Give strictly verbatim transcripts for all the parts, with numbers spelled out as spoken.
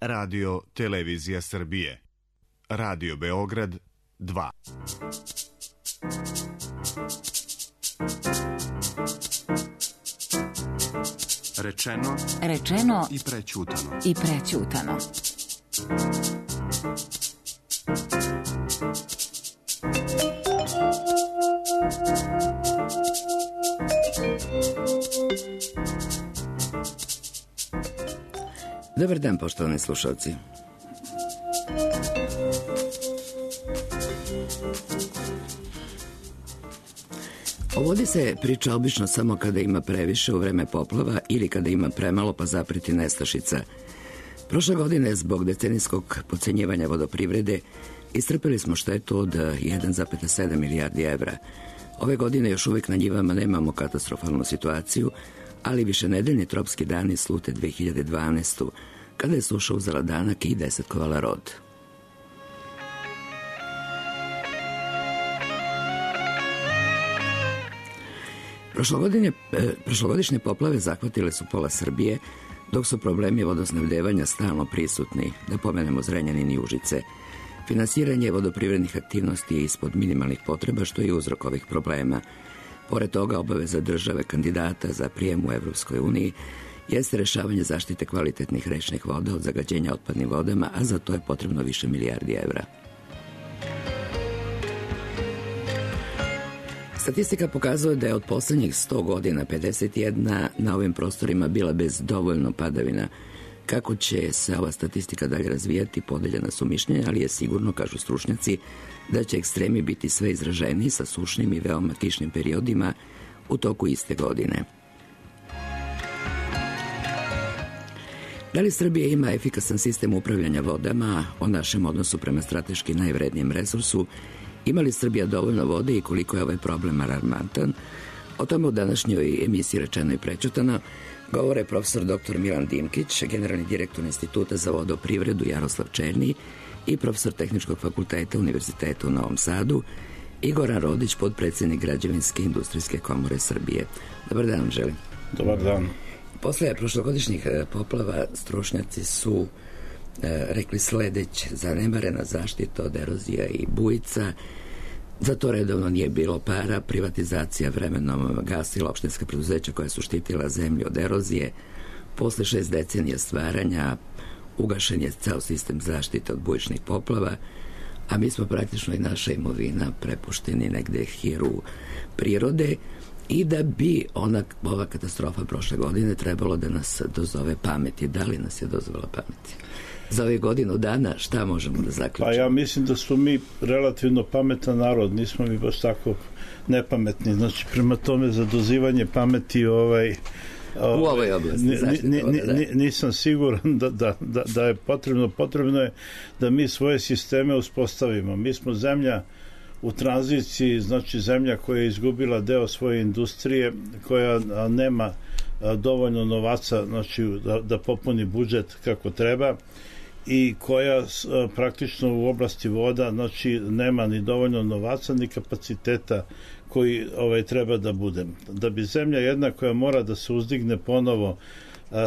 Radio Televizija Srbije. Radio Beograd dva. Rečeno, rečeno i prećutano. I prećutano. Dobar dan, poštovani slušalci. O vodi se priča obično samo kada ima previše u vreme poplava ili kada ima premalo pa zapreti nestašica. Prošle godine, zbog decenijskog podcenjivanja vodoprivrede, istrpeli smo štetu od jedan zarez sedam milijardi evra. Ove godine još uvijek na njivama nemamo katastrofalnu situaciju, ali višenedeljni tropski dani slute dve hiljade dvanaeste. kada je suša uzela danak i desetkovala rod. Prošlogodinje, e, prošlogodišnje poplave zahvatile su pola Srbije, dok su problemi vodosnabdevanja stalno prisutni, da pomenemo Zrenjanin i Užice. Finansiranje vodoprivrednih aktivnosti je ispod minimalnih potreba, što je uzrok ovih problema. Pored toga, obaveza države kandidata za prijem u Evropskoj uniji jeste rešavanje zaštite kvalitetnih rečnih voda od zagađenja otpadnim vodama, a za to je potrebno više milijardi evra. Statistika pokazuje da je od poslednjih sto godina pedeset jedna na ovim prostorima bila bez dovoljno padavina. Kako će se ova statistika dalje razvijati, podeljena su mišljenja, ali je sigurno, kažu stručnjaci, da će ekstremi biti sve izraženiji sa sušnim i veoma kišnim periodima u toku iste godine. Da li Srbija ima efikasan sistem upravljanja vodama? O našem odnosu prema strateški najvrednijem resursu, ima li Srbija dovoljno vode i koliko je ovaj problem alarmantan? O tome u današnjoj emisiji Rečeno i prećutano govore profesor doktor Milan Dimkić, generalni direktor Instituta za vodoprivredu Jaroslav Černi i profesor Tehničkog fakulteta Univerziteta u Novom Sadu i Goran Rodić, podpredsednik Građevinske industrijske komore Srbije. Dobar dan vam želim. Dobar dan. Posle prošlogodišnjih poplava stručnjaci su e, rekli sledeće: zanemarena zaštita od erozija i bujica, za to redovno nije bilo para, privatizacija vremenom gasila opštinska preduzeća koja su štitila zemlju od erozije, posle šest decenija stvaranja ugašen je ceo sistem zaštite od bujičnih poplava, a mi smo praktično i naša imovina prepušteni negde hiru prirode, i da bi ona, ova katastrofa prošle godine trebalo da nas dozove pameti. Da li nas je dozvala pameti? Za ove godinu dana šta možemo da zaključimo? Pa ja mislim da smo mi relativno pametan narod, nismo mi baš tako nepametni. Znači, prema tome za dozivanje pameti ovaj, ovaj u ovoj oblasti ni, ni, ni, nisam siguran da, da, da, da je potrebno. Potrebno je da mi svoje sisteme uspostavimo. Mi smo zemlja u tranziciji, znači zemlja koja je izgubila deo svoje industrije, koja nema dovoljno novaca, znači da, da popuni budžet kako treba, i koja praktično u oblasti voda, znači nema ni dovoljno novaca ni kapaciteta koji ovaj treba da bude. Da bi zemlja jedna koja mora da se uzdigne ponovo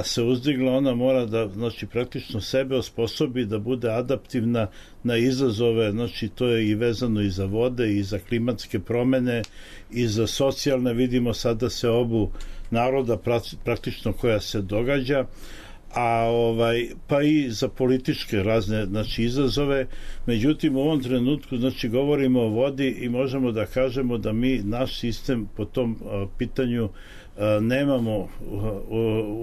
se uzdigla, ona mora da, znači, praktično sebe osposobi da bude adaptivna na izazove, znači to je i vezano i za vode i za klimatske promene i za socijalne, vidimo sada se obu naroda praktično koja se događa, a ovaj pa i za političke razne, znači, izazove. Međutim, u ovom trenutku, znači, govorimo o vodi i možemo da kažemo da mi naš sistem po tom a, pitanju a, nemamo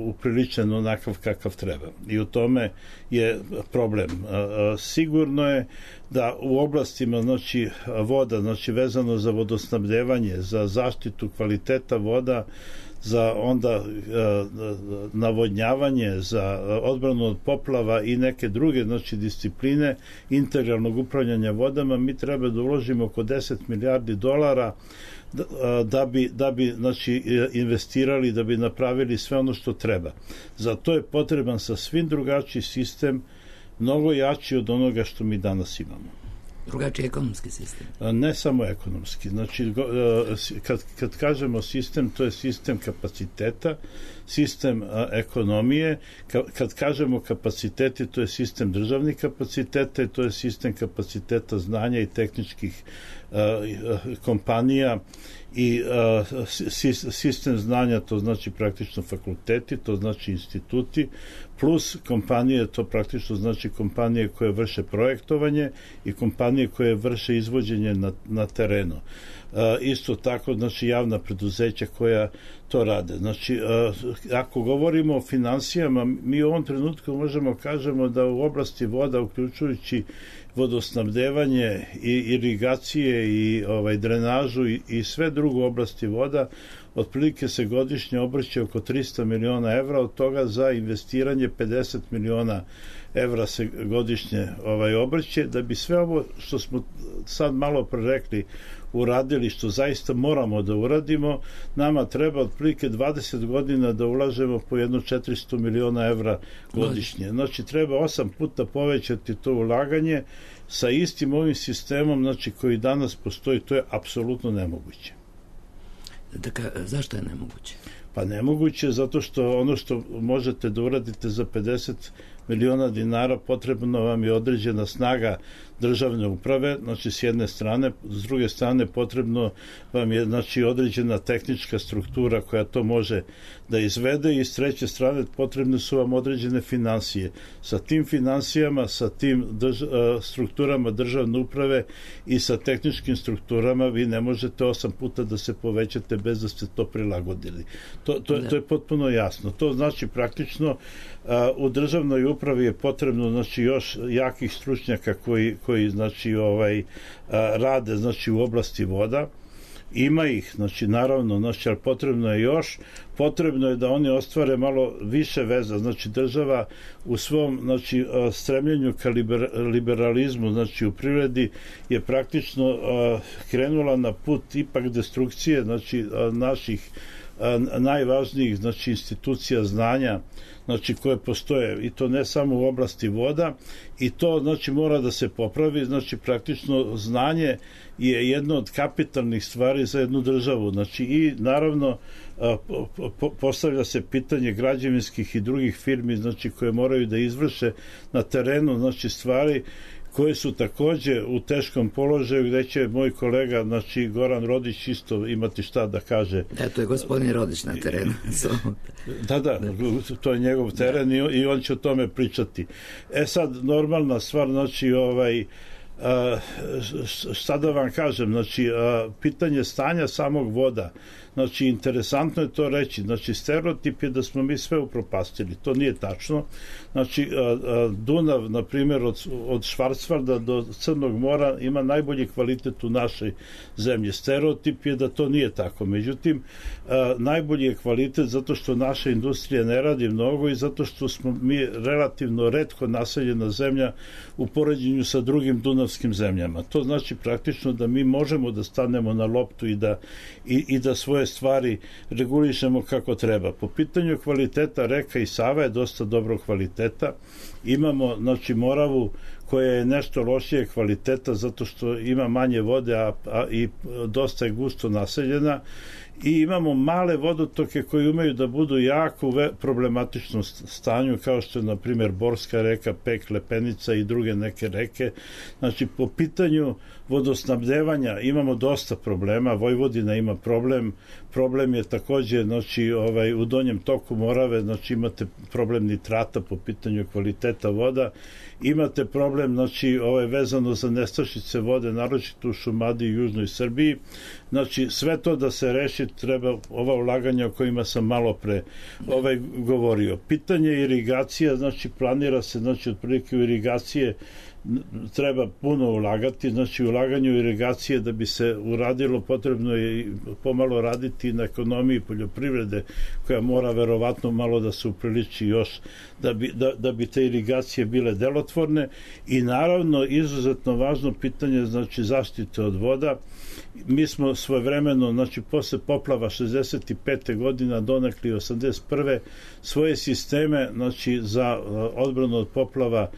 upriličen onakav kakav treba, i u tome je problem. A, a, sigurno je da u oblastima, znači, voda, znači vezano za vodosnabdevanje, za zaštitu kvaliteta voda, za onda navodnjavanje, za odbranu od poplava i neke druge, znači, discipline integralnog upravljanja vodama, mi treba da uložimo oko deset milijardi dolara da, da bi, da bi znači, investirali, da bi napravili sve ono što treba. Za to je potreban sasvim drugačiji sistem, mnogo jači od onoga što mi danas imamo. Drugačiji ekonomski sistem? Ne samo ekonomski. Znači, kad, kad kažemo sistem, to je sistem kapaciteta, sistem a, ekonomije. Ka, kad kažemo kapaciteti, to je sistem državnih kapaciteta i to je sistem kapaciteta znanja i tehničkih a, a, kompanija i a, sistem znanja, to znači praktično fakulteti, to znači instituti, plus kompanije, to praktično znači kompanije koje vrše projektovanje i kompanije koje vrše izvođenje na, na terenu. A, isto tako, znači, javna preduzeća koja to rade. Znači, a, ako govorimo o finansijama, mi u ovom trenutku možemo kažemo da u oblasti voda, uključujući vodosnabdevanje i irigacije i ovaj drenažu i, i sve drugo oblasti voda, otprilike se godišnje obrće oko trista miliona evra, od toga za investiranje pedeset miliona evra se godišnje ovaj obrće, da bi sve ovo što smo sad malo prerekli uradili, što zaista moramo da uradimo, nama treba otprilike dvadeset godina da ulažemo po jedno četiristo miliona evra godišnje. Znači, treba osam puta povećati to ulaganje sa istim ovim sistemom, znači, koji danas postoji. To je apsolutno nemoguće. Dakle, zašto je nemoguće? Pa nemoguće zato što ono što možete da uradite za pedeset miliona dinara, potrebno vam je određena snaga državne uprave, znači s jedne strane, s druge strane potrebno vam je, znači, određena tehnička struktura koja to može da izvede i s treće strane potrebne su vam određene finansije. Sa tim finansijama, sa tim drž, strukturama državne uprave i sa tehničkim strukturama vi ne možete osam puta da se povećate bez da ste to prilagodili. To, to, to je potpuno jasno. To znači praktično u državnoj upravi je potrebno, znači, još jakih stručnjaka koji, koji znači, ovaj, rade, znači, u oblasti voda. Ima ih, znači, naravno, znači, ali potrebno je još, potrebno je da oni ostvare malo više veza, znači, država u svom, znači, stremljenju ka liber, liberalizmu, znači, u privredi je praktično krenula na put ipak destrukcije, znači, naših najvažnijih, znači, institucija znanja, znači, koje postoje, i to ne samo u oblasti voda, i to, znači, mora da se popravi. Znači, praktično znanje je jedno od kapitalnih stvari za jednu državu. Znači, i naravno postavlja se pitanje građevinskih i drugih firmi, znači, koje moraju da izvrše na terenu, znači, stvari koje su takođe u teškom položaju, gde će moj kolega, znači, Goran Rodić, isto imati šta da kaže. Da, to je gospodin Rodić na terenu. da, da, to je njegov teren da. i on će o tome pričati. E sad, normalna stvar, znači, ovaj, a, šta da vam kažem, znači, a, pitanje stanja samog voda, znači, interesantno je to reći, znači, stereotip je da smo mi sve upropastili, to nije tačno. Znači, Dunav, na primjer, od, od Švarcvalda do Crnog mora ima najbolji kvalitet u našoj zemlji. Stereotip je da to nije tako. Međutim, najbolji je kvalitet zato što naša industrija ne radi mnogo i zato što smo mi relativno retko naseljena zemlja u poređenju sa drugim dunavskim zemljama. To znači praktično da mi možemo da stanemo na loptu i da, i, i da svoje stvari regulišemo kako treba. Po pitanju kvaliteta reka i Sava je dosta dobro kvaliteta. Imamo, znači, Moravu koja je nešto lošije kvaliteta zato što ima manje vode, a, a i dosta je gusto naseljena, i imamo male vodotoke koji umeju da budu jako u problematičnom stanju, kao što je, na primjer, Borska reka, Pek, Lepenica i druge neke reke. Znači, po pitanju vodosnabdevanja imamo dosta problema. Vojvodina ima problem. Problem je takođe, znači, ovaj, u donjem toku Morave, znači, imate problem nitrata po pitanju kvaliteta voda. Imate problem, znači, ovaj, vezano za nestašice vode, naročito u Šumadiji i Južnoj Srbiji. Znači, sve to da se reši, treba ova ulaganja o kojima sam malo pre ovaj, govorio. Pitanje irigacija, znači, planira se, znači, otprilike u irigacije treba puno ulagati, znači, ulaganje u irigacije da bi se uradilo, potrebno je pomalo raditi na ekonomiji poljoprivrede, koja mora verovatno malo da se upriliči još da bi, da, da bi te irigacije bile delotvorne, i naravno izuzetno važno pitanje, znači, zaštite od voda. Mi smo svojevremeno, znači, posle poplava šezdeset pete godina, donekli osamdeset prve svoje sisteme, znači, za odbranu od poplava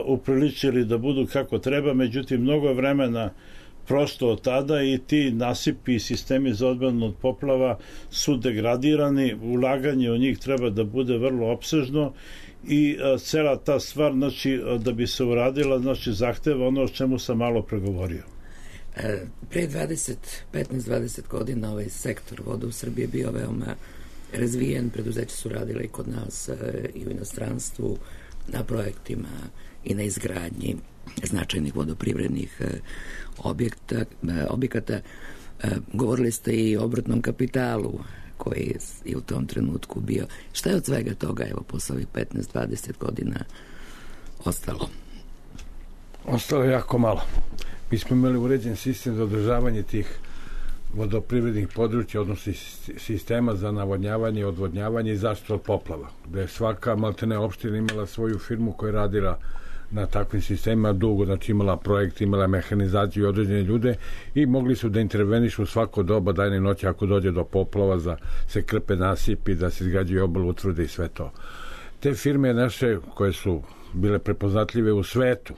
upriličili da budu kako treba, međutim, mnogo vremena prosto od tada i ti nasipi i sistemi za odbranu od poplava su degradirani, ulaganje u njih treba da bude vrlo opsežno i a, cela ta stvar, znači, da bi se uradila, znači, zahteva ono o čemu sam malo pregovorio. E, pre dvadeset, petnaest dvadeset godina ovaj sektor voda u Srbiji je bio veoma razvijen, preduzeća su radile i kod nas e, i u inostranstvu na projektima i na izgradnji značajnih vodoprivrednih e, objekta, e, objekata. E, govorili ste i o obrtnom kapitalu koji je u tom trenutku bio. Šta je od svega toga, evo, posle ovih petnaest dvadeset godina ostalo? Ostalo je jako malo. Mi smo imali uređen sistem za održavanje tih vodoprivrednih područja, odnosno sistema za navodnjavanje, odvodnjavanje i zaštitu od poplava, gde je svaka maltene opština imala svoju firmu koja je radila na takvim sistemima dugo, znači imala projekt, imala mehanizaciju i određene ljude i mogli su da intervenišu u svako doba dajne noći ako dođe do poplava, da se krpe nasipi, da se izgrađuju obal utvrde i sve to. Te firme naše koje su bile prepoznatljive u svetu,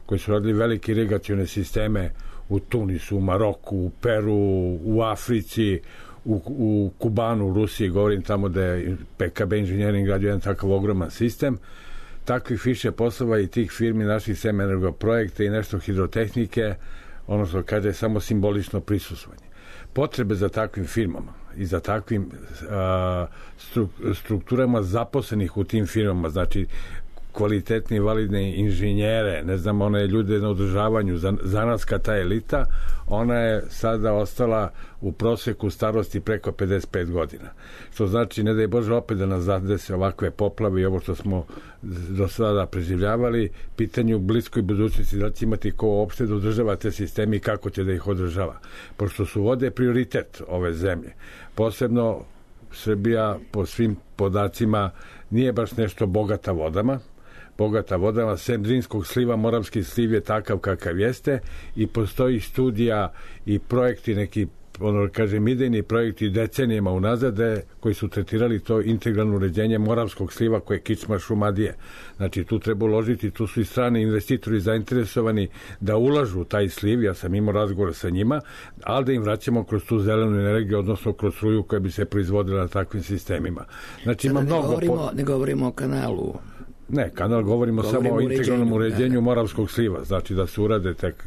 koji su radili velike irigacione sisteme u Tunisu, u Maroku, u Peru, u Africi, u, u Kubanu, u Rusiji, govorim tamo da je P K B Engineering radio jedan takav ogroman sistem. Takvih više poslova i tih firmi naših sem energoprojekta i nešto hidrotehnike, ono što kaže samo simbolično prisustvovanje. Potrebe za takvim firmama i za takvim a, stru, strukturama zaposlenih u tim firmama, znači kvalitetni, validne inženjere, ne znam, one ljude na održavanju, za, zanatska ta elita, ona je sada ostala u proseku starosti preko pedeset pet godina. Što znači, ne daj Bože opet da nas zadese ovakve poplave i ovo što smo do sada preživljavali, pitanje u bliskoj budućnosti da će imati ko uopšte da održava te sisteme i kako će da ih održava. Pošto su vode prioritet ove zemlje. Posebno Srbija po svim podacima nije baš nešto bogata vodama, bogata vodama, sem Drinskog sliva, Moravski sliv je takav kakav jeste i postoji studija i projekti, neki, ono kažem, idejni projekti decenijama unazad koji su tretirali to integralno uređenje Moravskog sliva koje je kičma Šumadije. Znači, tu treba uložiti, tu su i strani investitori zainteresovani da ulažu u taj sliv, ja sam imao razgovor sa njima, ali da im vraćamo kroz tu zelenu energiju, odnosno kroz struju koja bi se proizvodila na takvim sistemima. Znači, ima ne mnogo... Govorimo, po... Ne govorimo o kanalu. Ne, kanal govorimo, govorimo samo o integralnom uređenju da, Moravskog sliva, znači da se urade tek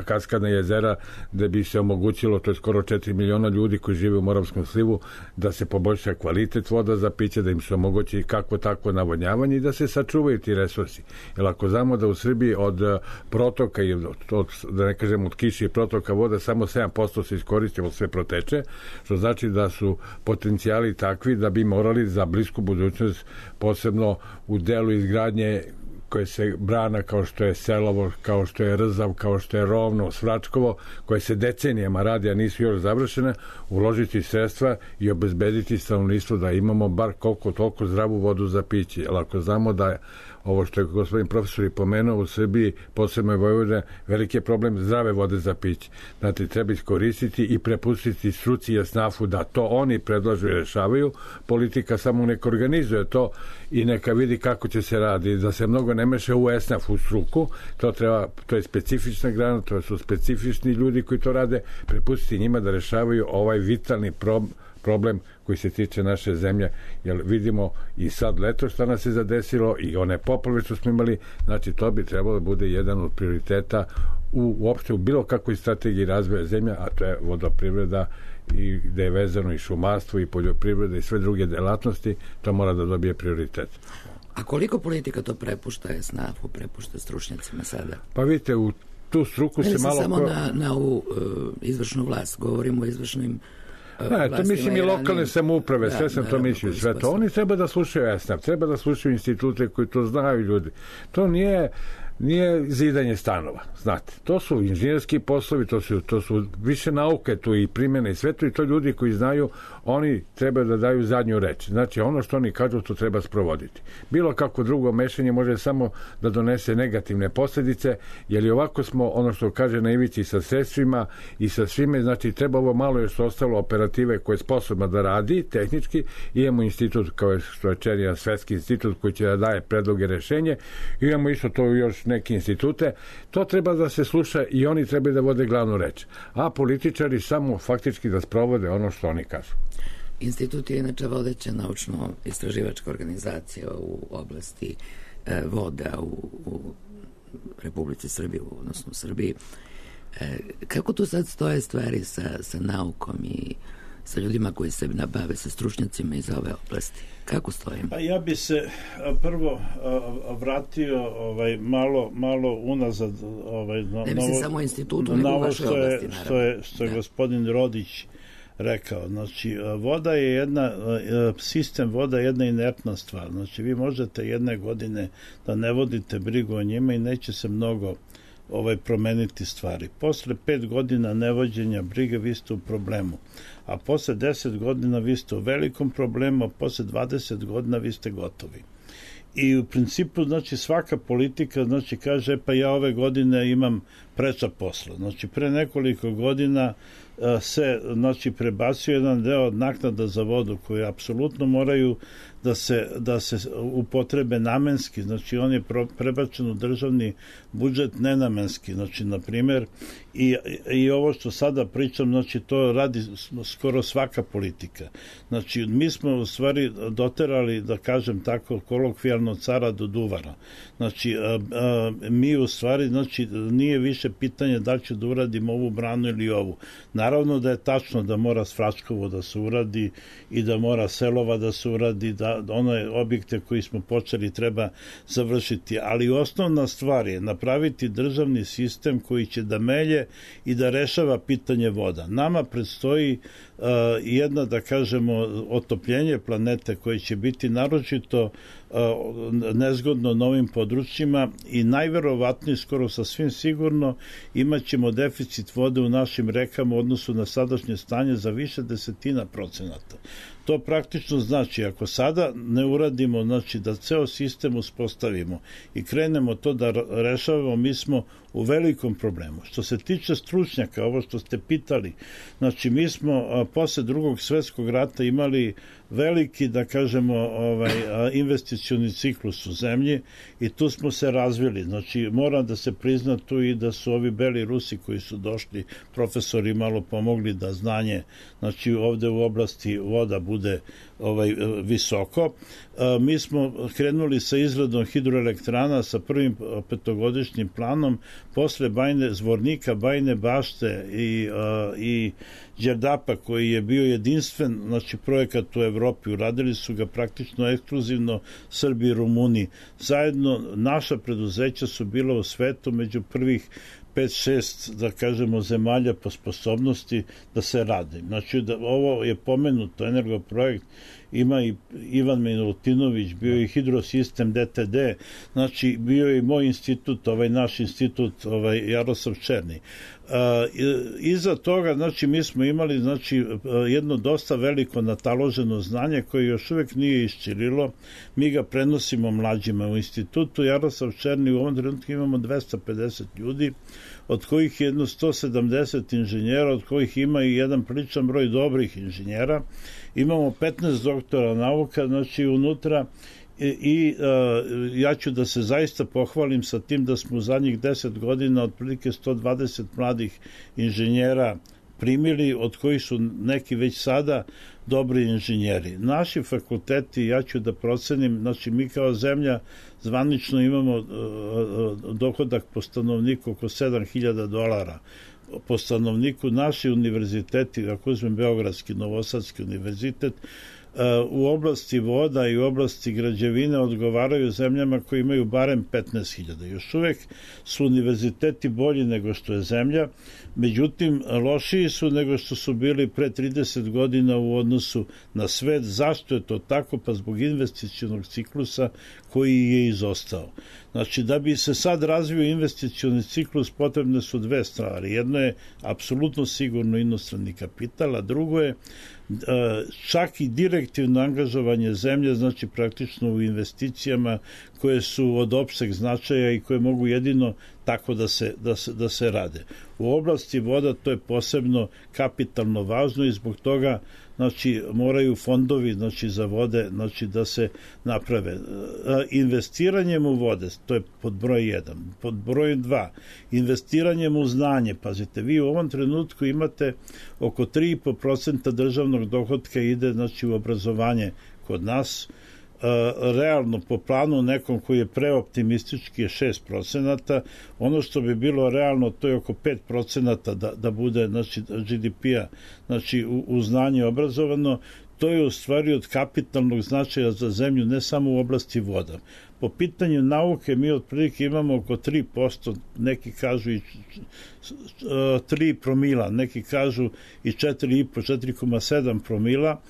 kaskadna jezera da bi se omogućilo, to je skoro četiri miliona ljudi koji žive u Moravskom slivu, da se poboljša kvalitet voda za piće, da im se omogući kako tako navodnjavanje i da se sačuvaju ti resursi. Jer ako znamo da u Srbiji od protoka i od, od, da ne kažem od kiše i protoka voda samo sedam posto se iskoristi, sve proteče, što znači da su potencijali takvi da bi morali za blisku budućnost, posebno u delu izgradnje koje se brana kao što je Selovo, kao što je Rzav, kao što je Rovno, Svračkovo, koje se decenijama radi, a nisu još završene, uložiti sredstva i obezbediti stanovništvo da imamo bar koliko toliko zdravu vodu za piće. Jer ako znamo da je ovo što je gospodin profesor i pomenuo u Srbiji, posebno je Vojvodina, veliki je problem zdrave vode za piće. Znači, treba iskoristiti i prepustiti struci i jasnafu da to oni predlažu i rešavaju. Politika samo neka organizuje to i neka vidi kako će se radi, da se mnogo ne meše u esnaf, u struku. To treba, to je specifična grana, to su specifični ljudi koji to rade, prepustiti njima da rešavaju ovaj vitalni problem problem koji se tiče naše zemlje, jer vidimo i sad leto šta nas je zadesilo i one poplave što smo imali, znači to bi trebalo da bude jedan od prioriteta u, uopšte u bilo kakvoj strategiji razvoja zemlja, a to je vodoprivreda i gde je vezano i šumarstvo i poljoprivreda i sve druge delatnosti, to mora da dobije prioritet. A koliko politika to prepušta esnafu, prepušta stručnjacima sada? Pa vidite, u tu struku se malo... samo ko... na, na ovu uh, izvršnu vlast, govorimo o izvršnim Ne, to mislim i lokalne samouprave, da, sve sam to mislio, sve to. Oni treba da slušaju esnaf, treba da slušaju institute koji to znaju ljudi. To nije, nije zidanje stanova, znate. To su inženjerski poslovi, to su, to su više nauke tu i primjene i sve to i to ljudi koji znaju, oni treba da daju zadnju reč. Znači, ono što oni kažu, to treba sprovoditi. Bilo kako drugo mešanje može samo da donese negativne posljedice, jer i ovako smo, ono što kaže na ivici sa sredstvima i sa svime, znači, treba ovo malo još ostalo operative koje je sposobna da radi, tehnički, imamo institut kao što je Čerijan svetski institut koji će da daje predloge rešenje, imamo isto to još još neke institute, to treba da se sluša i oni treba da vode glavnu reč. A političari samo faktički da sprovode ono što oni kažu. Institut je inače vodeća naučno-istraživačka organizacija u oblasti e, voda u, u Republici Srbiji, odnosno u Srbiji. E, kako tu sad stoje stvari sa, sa naukom i sa ljudima koji se nabave, sa stručnjacima iz ove oblasti? Kako stojimo? Pa ja bi se prvo vratio ovaj malo malo unazad, ovaj na, ne mislim samo o institutu, nego u vašoj oblasti, naravno. Što je što je da. Gospodin Rodić rekao. Znači, voda je jedna, sistem voda je jedna inertna stvar. Znači, vi možete jedne godine da ne vodite brigu o njima i neće se mnogo ovaj promeniti stvari. Posle pet godina nevođenja brige vi ste u problemu, a posle deset godina vi ste u velikom problemu, a posle dvadeset godina vi ste gotovi. I u principu, znači, svaka politika, znači, kaže, pa ja ove godine imam preča posla. Znači, pre nekoliko godina se, znači, prebacio jedan deo od naknada za vodu koje apsolutno moraju da se, da se upotrebe namenski, znači on je prebačen u državni budžet nenamenski, znači na primjer i, i ovo što sada pričam, znači to radi skoro svaka politika. Znači mi smo u stvari doterali, da kažem tako kolokvijalno, cara do duvara. Znači a, a, mi u stvari, znači nije više pitanje da li ću da uradim ovu branu ili ovu. Naravno da je tačno da mora Svračkovo da se uradi i da mora Selova da se uradi, da one objekte koji smo počeli treba završiti, ali osnovna stvar je napraviti državni sistem koji će da melje i da rešava pitanje voda. Nama predstoji uh, jedna, da kažemo, otopljenje planete koje će biti naročito uh, nezgodno novim područjima i najverovatnije, skoro sasvim sigurno, imat ćemo deficit vode u našim rekama u odnosu na sadašnje stanje za više desetina procenata. To praktično znači, ako sada ne uradimo, znači da ceo sistem uspostavimo i krenemo to da rešavamo, mi smo u velikom problemu. Što se tiče stručnjaka, ovo što ste pitali, znači mi smo a, posle drugog svetskog rata imali veliki, da kažemo, ovaj, investicioni ciklus u zemlji i tu smo se razvili. Znači, mora da se prizna tu i da su ovi beli Rusi koji su došli, profesori, malo pomogli da znanje, znači ovde u oblasti voda bude ovaj visoko. Mi smo krenuli sa izradom hidroelektrana sa prvim petogodišnjim planom, posle Bajne, Zvornika, Bajne Bašte i, i Đerdapa, koji je bio jedinstven, znači projekat u Evropi, uradili su ga praktično ekskluzivno Srbi i Rumuni. Zajedno naša preduzeća su bila u svetu među prvih pet šest, da kažemo, zemalja po sposobnosti da se radi. Znači, da, ovo je pomenuto energoprojekt, ima i Ivan Milutinović, bio i hidrosistem D T D, znači bio je i moj institut, ovaj naš institut, ovaj Jaroslav Černi. Uh, iza toga, znači, mi smo imali, znači, jedno dosta veliko nataloženo znanje koje još uvek nije isčirilo. Mi ga prenosimo mlađima u institutu. Jaroslav Černi, u ovom trenutku imamo dvesta pedeset ljudi, od kojih je jedno sto sedamdeset inženjera, od kojih ima i jedan priličan broj dobrih inženjera. Imamo petnaest doktora nauka, znači, unutra. I, i uh, ja ću da se zaista pohvalim sa tim da smo u zadnjih deset godina otprilike sto dvadeset mladih inženjera primili, od kojih su neki već sada dobri inženjeri. Naši fakulteti, ja ću da procenim, znači mi kao zemlja zvanično imamo uh, dohodak po stanovniku oko sedam hiljada dolara po stanovniku. Naši univerziteti, ako uzmem Beogradski, Novosadski univerzitet, u oblasti voda i u oblasti građevine odgovaraju zemljama koji imaju barem petnaest hiljada. Još uvek su univerziteti bolji nego što je zemlja, međutim lošiji su nego što su bili pre trideset godina u odnosu na svet. Zašto je to tako? Pa zbog investicionog ciklusa koji je izostao. Znači, da bi se sad razvio investicioni ciklus, potrebne su dve stvari. Jedno je apsolutno sigurno inostrani kapital, a drugo je čak i direktivno angažovanje zemlje, znači praktično u investicijama koje su od opšteg značaja i koje mogu jedino tako da se, da se, da se rade. U oblasti voda to je posebno kapitalno važno i zbog toga, znači moraju fondovi znači za vode znači da se naprave. Investiranjem u vode, to je pod broj jedan. Pod broj dva, investiranjem u znanje. Pazite, vi u ovom trenutku imate oko tri i po procenta državnog dohotka ide znači u obrazovanje kod nas. Realno po planu nekom koji je preoptimistički je šest procenata, ono što bi bilo realno to je oko pet procenata da, da bude znači, G D P-a znači, u, u znanje obrazovano. To je u stvari od kapitalnog značaja za zemlju, ne samo u oblasti voda. Po pitanju nauke mi otprilike imamo oko tri posto, neki kažu i tri promila, neki kažu i četiri i po, četiri zarez sedam promila.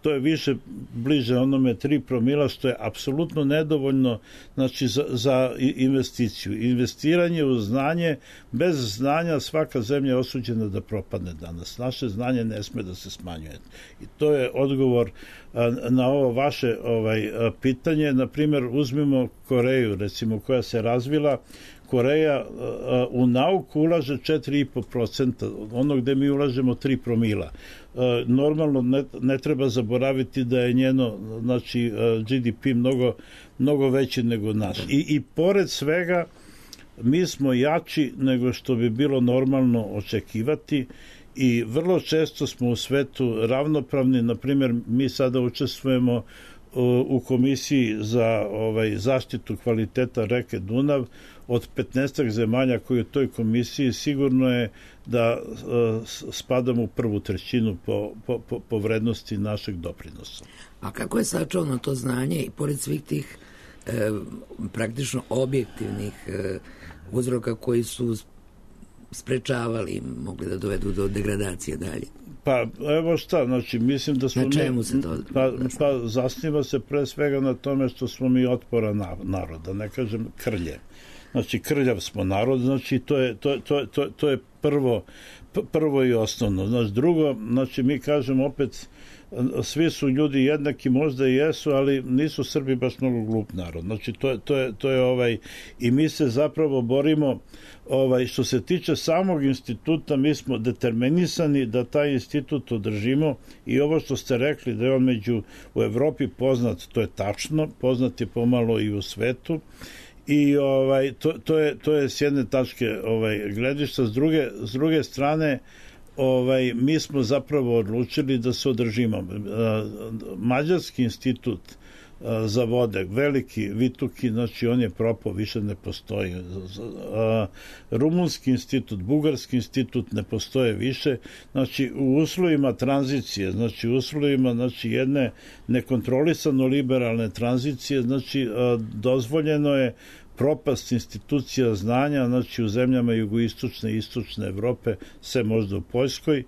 To je više bliže onome tri promila, što je apsolutno nedovoljno znači, za, za investiciju. Investiranje u znanje, bez znanja svaka zemlja je osuđena da propadne danas. Naše znanje ne sme da se smanjuje. I to je odgovor a, na ovo vaše ovaj, a, pitanje. Naprimjer, uzmimo Koreju, recimo, koja se razvila. Koreja a, u nauku ulaže četiri i po procenta, ono gde mi ulažemo tri promila. A, normalno ne, ne treba zaboraviti da je njeno znači, G D P mnogo, mnogo veći nego naš. I, I pored svega mi smo jači nego što bi bilo normalno očekivati i vrlo često smo u svetu ravnopravni. Na primjer, mi sada učestvujemo u komisiji za ovaj, zaštitu kvaliteta reke Dunav. Od petnaest zemalja koji u toj komisiji sigurno je da uh, spadamo u prvu trećinu po, po, po, po vrednosti našeg doprinosa. A kako je sačuvano to znanje i pored svih tih e, praktično objektivnih e, uzroka koji su sprečavali, mogli da dovedu do degradacije dalje? Pa evo šta, znači mislim da smo... Na čemu se to... Pa, pa zasniva se pre svega na tome što smo mi otpora naroda, ne kažem krlje. Znači krljav smo narod, znači to je, to, to, to, to je prvo, prvo i osnovno. Znači drugo, znači mi kažemo opet, svi su ljudi jednaki, možda i jesu, ali nisu Srbi baš mnogo glup narod. Znači to je, to je, to je ovaj, i mi se zapravo borimo, ovaj, što se tiče samog instituta, mi smo determinisani da taj institut održimo i ovo što ste rekli da je on među u Evropi poznat, to je tačno, poznat je pomalo i u svetu. I ovaj to, to je to je s jedne tačke ovaj gledišta, s druge s druge strane ovaj mi smo zapravo odlučili da se održimo. Mađarski institut za vode, veliki Vituki, znači on je propao, više ne postoji. Rumunski institut, Bugarski institut ne postoje više. Znači u uslovima tranzicije, znači u uslovima znači jedne nekontrolisano liberalne tranzicije, znači dozvoljeno je propast institucija znanja, znači u zemljama jugoistočne i istočne Evrope, sve možda u Poljskoj,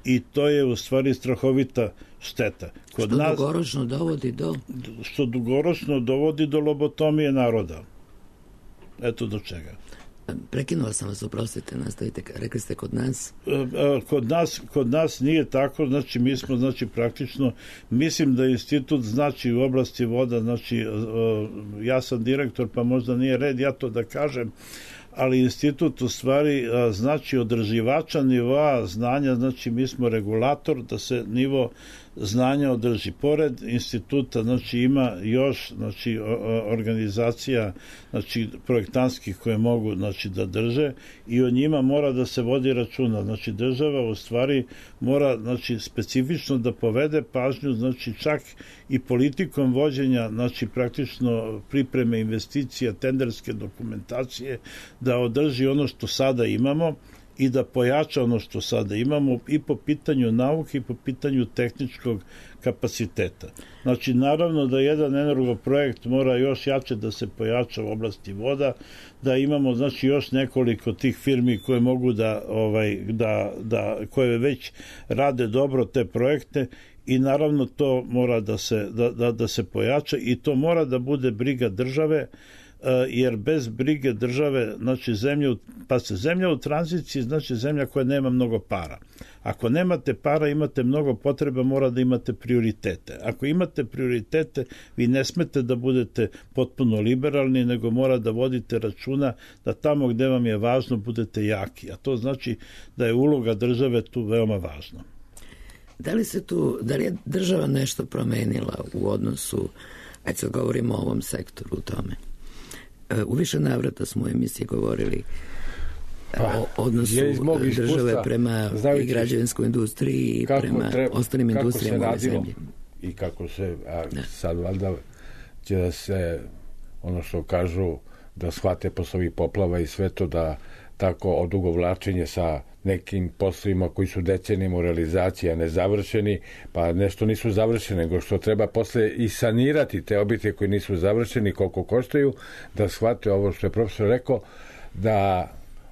i to je u stvari strahovita šteta. Kod što nas, dugoročno dovodi do... Što dugoročno dovodi do lobotomije naroda. Eto do čega. Prekinula sam vas, oprostite, nastavite, rekli ste kod nas? Kod nas, kod nas nije tako, znači mi smo, znači praktično, mislim da institut znači u oblasti voda, znači ja sam direktor, pa možda nije red ja to da kažem, ali institut u stvari znači održivača nivoa znanja, znači mi smo regulator da se nivo znanja održi. Pored instituta znači ima još znači organizacija znači projektantskih koje mogu znači da drže i o njima mora da se vodi računa. Znači država u stvari mora znači specifično da povede pažnju, znači čak i politikom vođenja znači praktično pripreme investicija, tenderske dokumentacije, da održi ono što sada imamo i da pojača ono što sada imamo i po pitanju nauke i po pitanju tehničkog kapaciteta. Znači, naravno da jedan energoprojekt mora još jače da se pojača u oblasti voda, da imamo znači još nekoliko tih firmi koje mogu da, ovaj, da, da koje već rade dobro te projekte i naravno to mora da se, da, da, da se pojača i to mora da bude briga države, jer bez brige države, znači zemlja, pa se zemlja u tranziciji, znači zemlja koja nema mnogo para. Ako nemate para, imate mnogo potreba, mora da imate prioritete. Ako imate prioritete, vi ne smete da budete potpuno liberalni, nego mora da vodite računa da tamo gde vam je važno budete jaki. A to znači da je uloga države tu veoma važna. Da li se tu, da li je država nešto promenila u odnosu, ajde sad govorimo o ovom sektoru u tome? U više navrata smo u emisiji govorili pa, o odnosu države prema i građevinskoj industriji i prema treba, ostalim industrijama ove zemlje. I kako se, a da. Sad valjda će da se, ono što kažu, da shvate posle ovih poplava i sve to, da tako odugovlačenje sa nekim poslovima koji su decenijama u realizaciji, a nezavršeni, pa nešto nisu završene, nego što treba posle i sanirati te objekte koji nisu završeni, koliko koštaju, da shvate ovo što je profesor rekao, da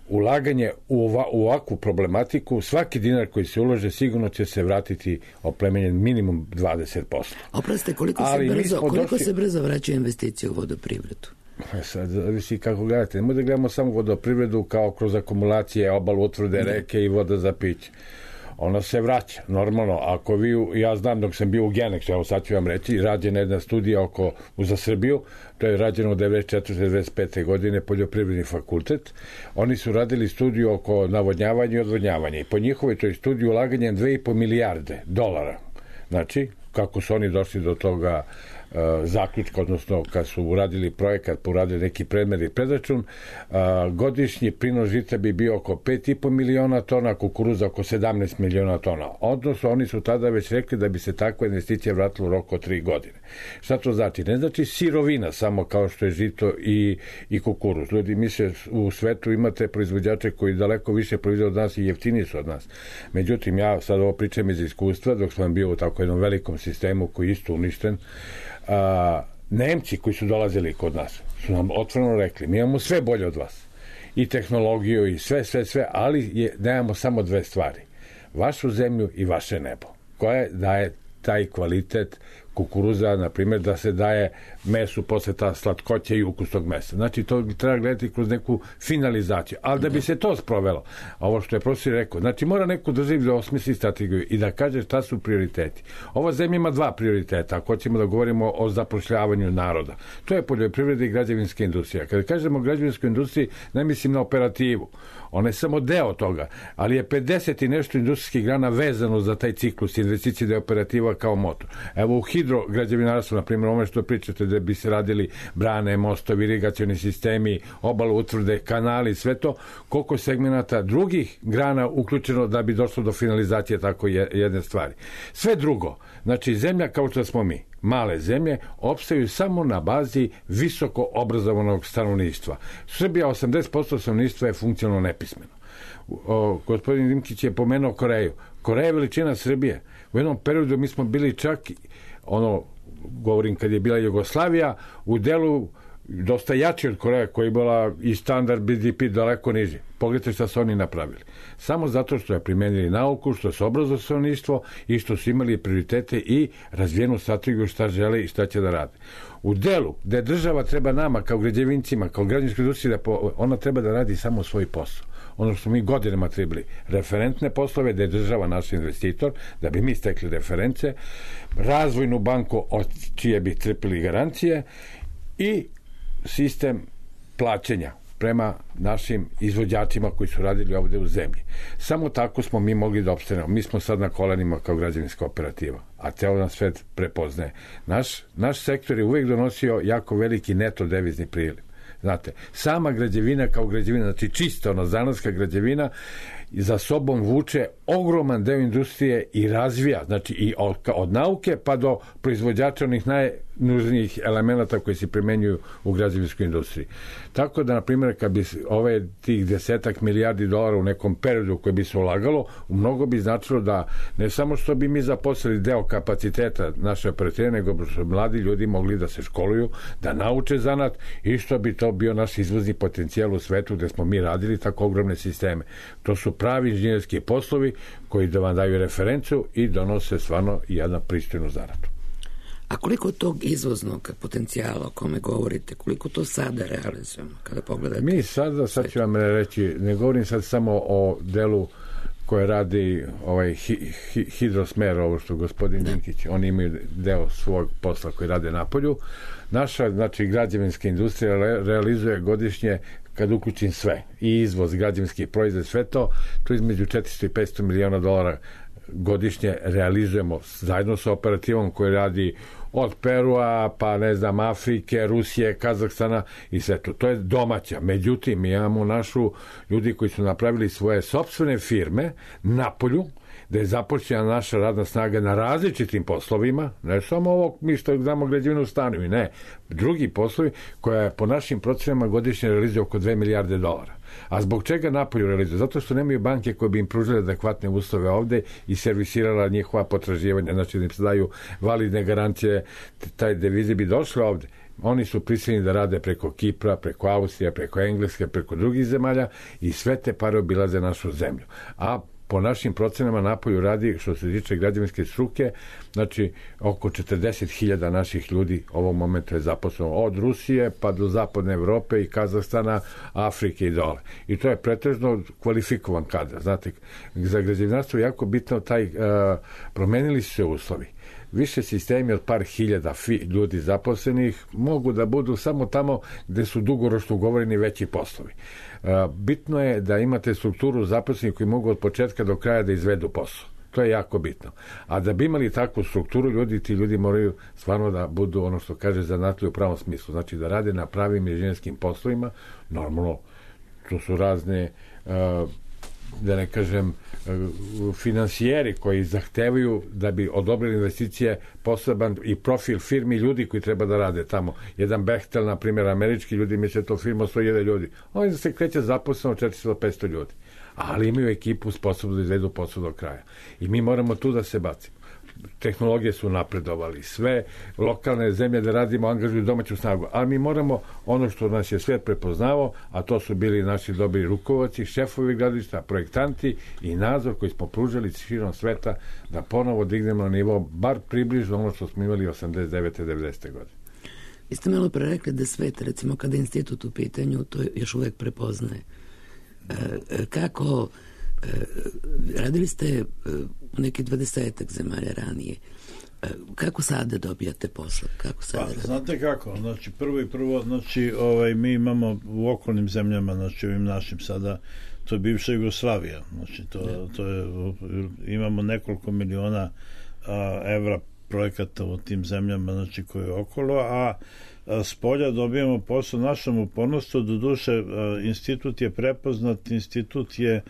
ulaganje u, ova, u ovakvu problematiku, svaki dinar koji se ulože sigurno će se vratiti oplemenjen minimum dvadeset posto. Oprostite, koliko, se brzo, koliko došli... se brzo vraćaju investicije u vodoprivredu? Sad, zavisi kako gledate. Nemoj da gledamo samo vodoprivredu kao kroz akumulacije, obalu, utvrde, reke i voda za piće. Ona se vraća, normalno. Ako vi, ja znam dok sam bio u Geneksu, evo sad ću vam reći, rađena jedna studija oko, za Srbiju, to je rađeno od devedeset četvrte do devedeset pete godine, Poljoprivredni fakultet. Oni su radili studiju oko navodnjavanja i odvodnjavanja i po njihovoj toj studiji ulaganje dve i po milijarde dolara. Znači, kako su oni došli do toga zaključka, odnosno kad su uradili projekat, uradili neki predmer i predračun, godišnji prinos žita bi bio oko pet i po miliona tona, kukuruza oko sedamnaest miliona tona. Odnosno, oni su tada već rekli da bi se takva investicija vratila u roku od tri godine. Šta to znači? Ne znači sirovina samo kao što je žito i, i kukuruz. Ljudi misle, u svetu imate proizvođače koji daleko više proizvode od nas i jeftiniji su od nas. Međutim, ja sad ovo pričam iz iskustva, dok sam bio u tako jednom velikom sistemu koji je isto uništen. A, Nemci koji su dolazili kod nas su nam otvoreno rekli, mi imamo sve bolje od vas, i tehnologiju i sve, sve, sve, ali je, nemamo samo dve stvari, vašu zemlju i vaše nebo, koje daje taj kvalitet kukuruza, na primjer, da se daje mesu posle ta slatkoća i ukus tog mesa. Znači, to treba gledati kroz neku finalizaciju. Ali da bi se to sprovelo, ovo što je profesor rekao, znači mora neko državi da osmisli strategiju i da kaže šta su prioriteti. Ova zemlja ima dva prioriteta, ako ćemo da govorimo o zapošljavanju naroda. To je poljoprivreda i građevinska industrija. Kada kažemo građevinskoj industriji, ne mislim na operativu. Ona je samo deo toga, ali je pedeset i nešto industrijskih grana vezano za taj ciklus investicije da je operativa kao motor. Evo u hidrograđevinarstvu, na primjer, ono što pričate da bi se radili brane, mostovi, irigacioni sistemi, obalu, utvrde, kanali, sve to, koliko segmenata drugih grana uključeno da bi došlo do finalizacije tako jedne stvari. Sve drugo, znači zemlja kao što smo mi, male zemlje, opstaju samo na bazi visoko obrazovanog stanovništva. Srbija, osamdeset posto stanovništva je funkcionalno nepismeno. O, gospodin Dimkić je pomenuo Koreju. Koreja je veličina Srbije. U jednom periodu mi smo bili čak, ono, govorim kad je bila Jugoslavija, u delu dosta jači od Koreje, koja je bila i standard B D P daleko niži. Pogledajte šta su oni napravili. Samo zato što je primenili nauku, što su obrazovali stanovništvo i što su imali prioritete i razvijenu strategiju šta žele i šta će da rade. U delu gde država treba nama kao građevincima, kao građevinskoj industriji, ona treba da radi samo svoj posao. Ono što mi godinama trebali, referentne poslove, da je država naš investitor, da bi mi stekli reference, razvojnu banku od čije bi trpili garancije i sistem plaćanja prema našim izvođačima koji su radili ovde u zemlji. Samo tako smo mi mogli da opstanemo. Mi smo sad na kolenima kao građevinska operativa, a ceo nas svet prepoznaje. Naš, naš sektor je uvek donosio jako veliki neto devizni priliv. Znate, sama građevina kao građevina, znači čista ono zanatska građevina, za sobom vuče ogroman deo industrije i razvija, znači i od, od nauke pa do proizvođača onih najnužnijih elemenata koji se primenjuju u građevinskoj industriji. Tako da, na primjer, kad bi ove tih desetak milijardi dolara u nekom periodu koji bi se ulagalo, mnogo bi značilo da ne samo što bi mi zaposlili deo kapaciteta naše operative, nego što mladi ljudi mogli da se školuju, da nauče zanat i što bi to bio naš izvozni potencijal u svetu gde smo mi radili tako ogromne sisteme. To su pravi inženjerski poslovi koji da vam daju referencu i donose stvarno jednu pristojnu zaradu. A koliko tog izvoznog potencijala o kome govorite, koliko to sada realizujemo kada pogledate? Mi sada, sad ću vam reći, ne govorim sad samo o delu koje radi ovaj hi, hi, hidrosmer, ovo što gospodin Dinkić, oni imaju deo svog posla koji rade na polju. Naša, znači, građevinska industrija realizuje godišnje, kad uključim sve, i izvoz, građevinski proizvod, sve to, to između četiristo i petsto miliona dolara godišnje realizujemo zajedno sa operativom koji radi od Perua, pa ne znam, Afrike, Rusije, Kazahstana i sve to. To je domaća. Međutim, mi imamo našu ljudi koji su napravili svoje sopstvene firme na polju, da je započela naša radna snaga na različitim poslovima, ne samo ovo mi što znamo građevinu stanovi, ne, drugi poslovi koja je po našim procenama godišnje realizuje oko dve milijarde dolara. A zbog čega napolju realizuje? Zato što nemaju banke koje bi im pružile adekvatne uslove ovde i servisirala njihova potraživanja, znači da im se daju validne garancije, taj devize bi došle ovde. Oni su prisiljeni da rade preko Kipra, preko Austrije, preko Engleske, preko drugih zemalja i sve te pare obilaze našu zemlju. A po našim procenama napolju radi, što se tiče građevinske struke, znači oko četrdeset hiljada naših ljudi ovog momenta je zaposleno od Rusije pa do zapadne Evrope i Kazahstana, Afrike i dole. I to je pretežno kvalifikovan kadar. Znate, za građevinarstvo je jako bitno taj, uh, promenili su se uslovi. Više sistemi od par hiljada ljudi zaposlenih mogu da budu samo tamo gde su dugoročno ugovoreni veći poslovi. Bitno je da imate strukturu zaposlenih koji mogu od početka do kraja da izvedu posao. To je jako bitno. A da bi imali takvu strukturu ljudi, ti ljudi moraju stvarno da budu ono što kaže zanatljivi u pravom smislu. Znači da rade na pravim inženjerskim poslovima. Normalno, to su razne da ne kažem finansijeri koji zahtevaju da bi odobrili investicije poseban i profil firmi ljudi koji treba da rade tamo. Jedan Bechtel, na primjer, američki ljudi, misle to firma sto hiljada ljudi. Oni se kreće zaposleno četiristo do petsto ljudi. Ali imaju ekipu sposobnu da izvedu posao do kraja. I mi moramo tu da se bacimo. Tehnologije su napredovali, sve lokalne zemlje da radimo angažuju domaću snagu, ali mi moramo ono što nas je svet prepoznao, a to su bili naši dobri rukovaci, šefovi gradilišta, projektanti i nadzor koji smo pružali širom sveta da ponovo dignemo na nivo bar približno ono što smo imali osamdeset devete devedesete godine. Vi ste malo pre rekli da svet, recimo kada je institut u pitanju, to još uvek prepoznaje. E, kako radili ste u neki dvadesetak zemalja ranije. Kako sada dobijate posao? Kako sada pa, znate kako, znači prvo i prvo, znači ovaj, mi imamo u okolnim zemljama, znači ovim našim sada, to je bivša Jugoslavija, znači to, to je, imamo nekoliko miliona a, evra projekata u tim zemljama, znači koje je okolo, a s polja dobijamo posao našom upornostu, do duše institut je prepoznat, institut je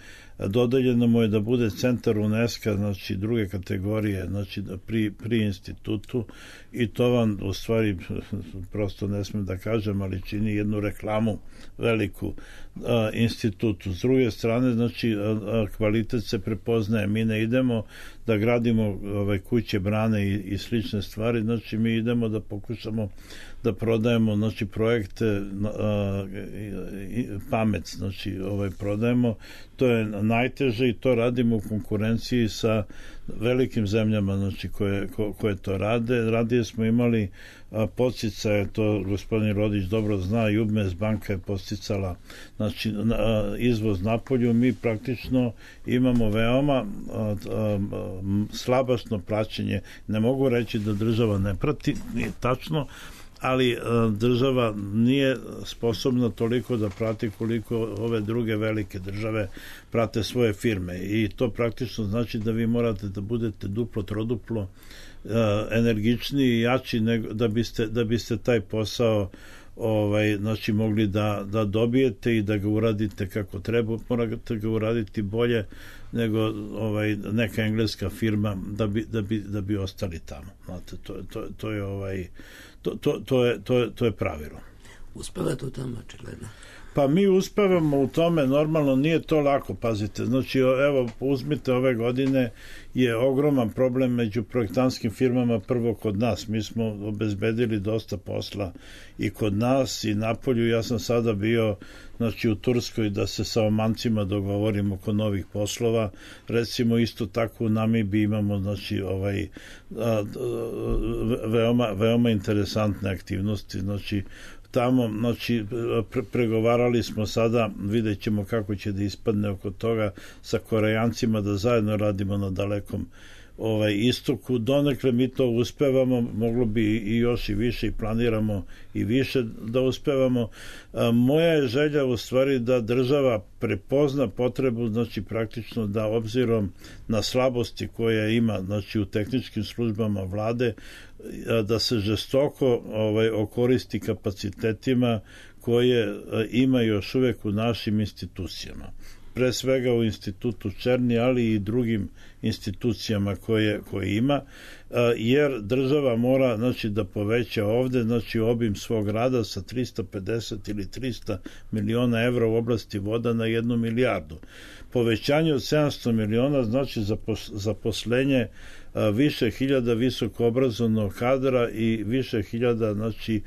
dodeljeno mu je da bude centar UNESCO, znači druge kategorije, znači pri, pri institutu i to vam u stvari prosto ne smem da kažem, ali čini jednu reklamu veliku a, institutu. S druge strane, znači a, a, kvalitet se prepoznaje, mi ne idemo da gradimo ove kuće, brane i, i slične stvari, znači mi idemo da pokušamo da prodajemo znači projekte a, i, i, pamet, znači ovaj prodajemo, to je najteže i to radimo u konkurenciji sa velikim zemljama znači koje, ko, koje to rade. Radije smo imali podsticaje, to gospodin Rodić dobro zna, i U B M E S banka je podsticala znači a, izvoz napolju. Mi praktično imamo veoma a, a, slabašno praćenje. Ne mogu reći da država ne prati, nije tačno, ali država nije sposobna toliko da prati koliko ove druge velike države prate svoje firme i to praktično znači da vi morate da budete duplo, troduplo energičniji i jači nego da biste, da biste taj posao ovaj, znači mogli da, da dobijete i da ga uradite kako treba, morate ga uraditi bolje nego ovaj, neka engleska firma da bi, da bi, da bi ostali tamo. Znate, to, to, to je ovaj To, to, to, je, to, je, to je pravilo. Uspevate u tome, očigledno? Pa mi uspevamo u tome, normalno nije to lako, pazite. Znači, evo, uzmite ove godine je ogroman problem među projektantskim firmama prvo kod nas. Mi smo obezbedili dosta posla i kod nas i napolju. Ja sam sada bio znači u Turskoj da se sa Omancima dogovorimo oko novih poslova. Recimo isto tako u Namibiji imamo znači ovaj a, a, veoma, veoma interesantne aktivnosti. Znači tamo, znači, pre, pregovarali smo sada, vidjet ćemo kako će da ispadne oko toga sa Korejancima da zajedno radimo na dalekom ovaj istoku. Donekle mi to uspevamo, moglo bi i još i više i planiramo i više da uspevamo. Moja je želja u stvari da država prepozna potrebu, znači praktično da obzirom na slabosti koje ima, znači u tehničkim službama vlade, da se žestoko ovaj okoristi kapacitetima koje ima još uvek u našim institucijama. Pre svega u institutu Černi, ali i drugim institucijama koje, koje ima, jer država mora, znači, da poveća ovde, znači, obim svog rada sa trista pedeset ili trista miliona evra u oblasti voda na jednu milijardu. Povećanje od sedamsto miliona znači zaposlenje više hiljada visoko obrazovnog kadra i više hiljada, znači,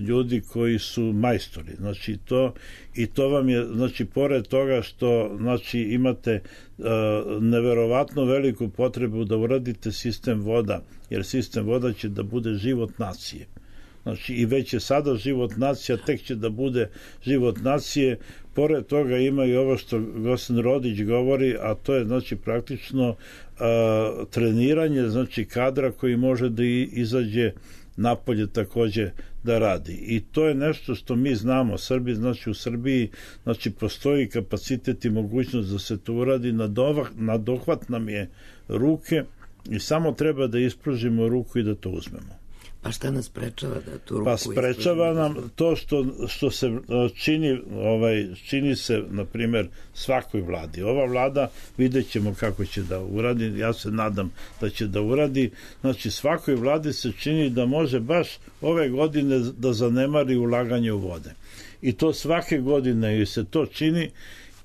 ljudi koji su majstori. Znači, to, i to vam je, znači, pored toga što, znači, imate neverovatno veliku potrebu da uradite sistem voda, jer sistem voda će da bude život nacije. Znači, i već je sada život nacija, tek će da bude život nacije. Pored toga ima i ovo što gospodin Rodić govori, a to je, znači, praktično a, treniranje, znači, kadra koji može da izađe napolje takođe da radi. I to je nešto što mi znamo. Srbi, znači, u Srbiji, znači, postoji kapacitet i mogućnost da se to uradi. Na dohvat nam je ruke i samo treba da ispružimo ruku i da to uzmemo. Pa šta nas sprečava da tu ruku... Pa sprečava nam to što, što se čini, ovaj, čini se, na primjer, svakoj vladi. Ova vlada, vidjet ćemo kako će da uradi, ja se nadam da će da uradi. Znači, svakoj vladi se čini da može baš ove godine da zanemari ulaganje u vode. I to svake godine se to čini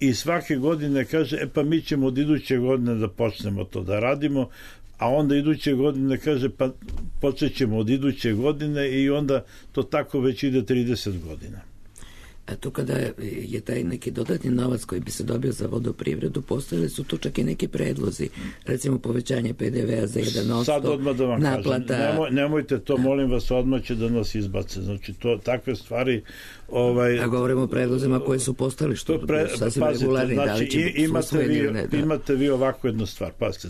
i svake godine kaže, e pa mi ćemo od iduće godine da počnemo to da radimo, a onda iduće godine kaže, pa počet ćemo od iduće godine i onda to tako već ide trideset godina. A tu kada je taj neki dodatni novac koji bi se dobio za vodoprivredu, postojali su tu čak i neki predlozi, recimo povećanje pe de ve a za jedan posto, sad odmah da vam naplata... kažem, Nemoj, nemojte to, molim vas, odmah će da nas izbace. Znači, to, takve stvari... Ovaj, a govorimo o predlozima koje su postali, što pre, sasvim pazite, regularni, znači, da li će biti imate vi, ne, da. imate vi ovako jednu stvar, pazite,